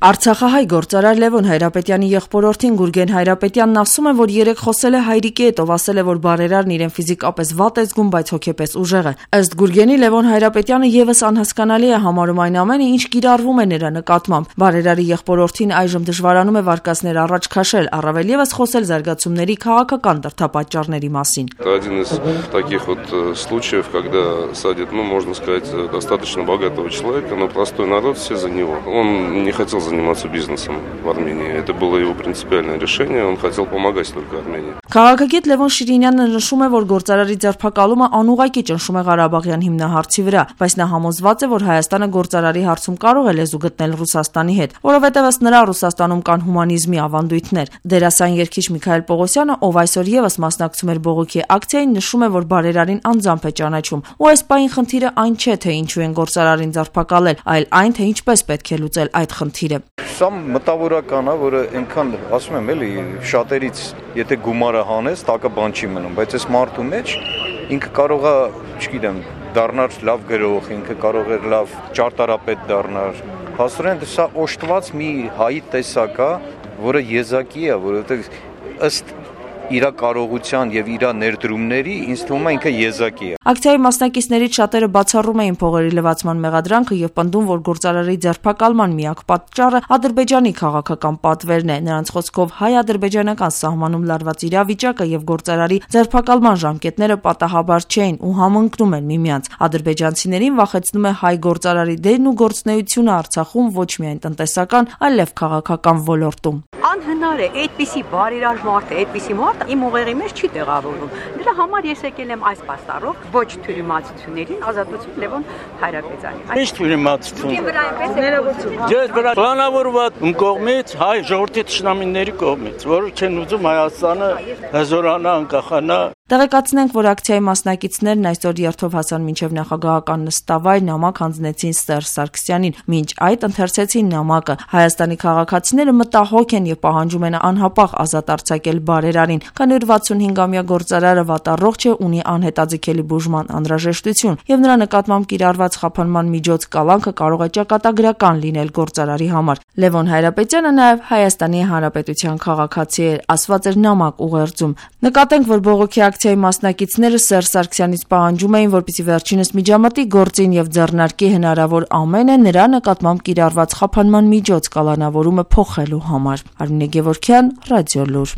Արցախահայ գործարար Լևոն Հայրապետյանի եղբորորդին Գուրգեն Հայրապետյանն ասում է, որ երեկ խոսել է հայրիկի հետ, ով ասել է, որ բարերարն իրեն ֆիզիկապես վատ է զգում, բայց հոգեպես ուժեղ է։ Ըստ Գուրգենի, Լևոն Հայրապետյանը եւս անհասկանալի է համարում այն ամենը, ինչ կիրառվում է նրա нկատմամբ։ Բարերարի եղբորորդին այժմ դժվարանում է վարկածներ առաջ քաշել, առավել եւս խոսել զարգացումների քաղաքական դրդապատճառների մասին։ Один из таких вот случаев, когда садят, можно сказать, достаточно богатого человека, но простой народ все за него. Он не хотел заниматься бизнесом в Армении. Это было его принципиальное решение. Он хотел помогать только Армении. Քաղաքագետ Լևոն Շիրինյանը նշում է, որ գործարարի ձերբակալումը անուղղակի ճնշում է Ղարաբաղյան հիմնահարցի վրա, բայց նա համոզված է, որ Հայաստանը գործարարի հարցում կարող է լեզու գտնել Ռուսաստանի հետ, որովհետև ըստ նրա Ռուսաստանում կան հումանիզմի ավանդույթներ։ Դերասան երգիչ Միքայել Պողոսյանը, ով այսօր եւս մասնակցում էր բողոքի ակցիային, նշում է, որ բարերարին անձամբ է ճանաչում, ու այս պահին խնդիրը այն չէ, թե ինչու են գործարարին ձերբակալել, այլ այն, թե ինչպես պետք է լուծել այդ խնդիրը։ Սա մտավորական է, որը այնքան, ասում եմ, էլի շատերից, եթե գումարը հանես, տակը բան չի մնում, բայց այս մարդու մեջ ինքը կարող է, չգիտեմ, դառնալ լավ գրող, ինքը կարող է լավ ճարտարապետ դառնալ։ Հասարեն սա օժտված մի հայի տեսակ է, որը եզակի է, որովհետև ըստ իր կարողության եւ իր ներդրումների ինձ թվում է ինքը եզակի է։ Ակցիայի մասնակիցներից շատերը բացառում էին փողերի լվացման մեղադրանքը եւ պնդում, որ գործարարի ձերբակալման միակ պատճառը Ադրբեջանի քաղաքական պատվերն է։ Նրանց խոսքով հայ-ադրբեջանական սահմանում լարված իրավիճակը եւ գործարարի ձերբակալման ժամկետները պատահաբար չէին ու համընկնում են միմյանց։ Ադրբեջանցիներին վախեցնում է հայ գործարարի դերն ու գործունեությունը Արցախում ոչ միայն տնտեսական, այլև քաղաքական ոլորտում։ Անհնար է այդպիսի բարերար մարդ է, այդպիսի մարդ իմ ուղեղի մեջ չի տեղավորվում։ Դրա համար ես եկել եմ այս պաստառով ոչ թյուրիմացություններին ազատություն Լևոն Հայրապետյանի։ Ինչ թյուրիմացություն։ Ես վրա պլանավորված կողմից հայ ժողովրդի ճշնամիների կողմից, որը չեն ուզում Հայաստանը հզորանա, անկախանա։ Տեղեկացնենք, որ ակցիայի մասնակիցներն այսօր երթով հասան մինչև նախագահական նստավայր, նամակ հանձնեցին Սերժ Սարգսյանին, մինչ այդ ընթերցեցին նամակը։ Հայաստանի քաղաքացիները մտահոգ են եւ պահանջում են անհապաղ ազատ արձակել բարերարին, քանի որ 65-ամյա գործարարը վատառողջ է, ունի անհետաձգելի բուժման անհրաժեշտություն եւ նրա նկատմամբ կիրառված խափանման միջոց կալանքը կարող է ճակատագրական լինել գործարարի համար։ Լևոն Հայրապետյանը նաեւ Հայաստանի Հանրապետության քաղաքացի է, ասված էր նամակ ուղերձում։ Նկատենք, որ բողոքի ակցիայի մասնակիցները Սերժ Սարգսյանից պահանջում էին, որպեսզի վերջինս միջամտի գործին եւ ձեռնարկի հնարավոր ամենը նրա նկատմամբ կիրառված խափանման միջոց կալանավորումը փոխելու համար։ Արմինե Գևորգյան, Ռադիոլուր։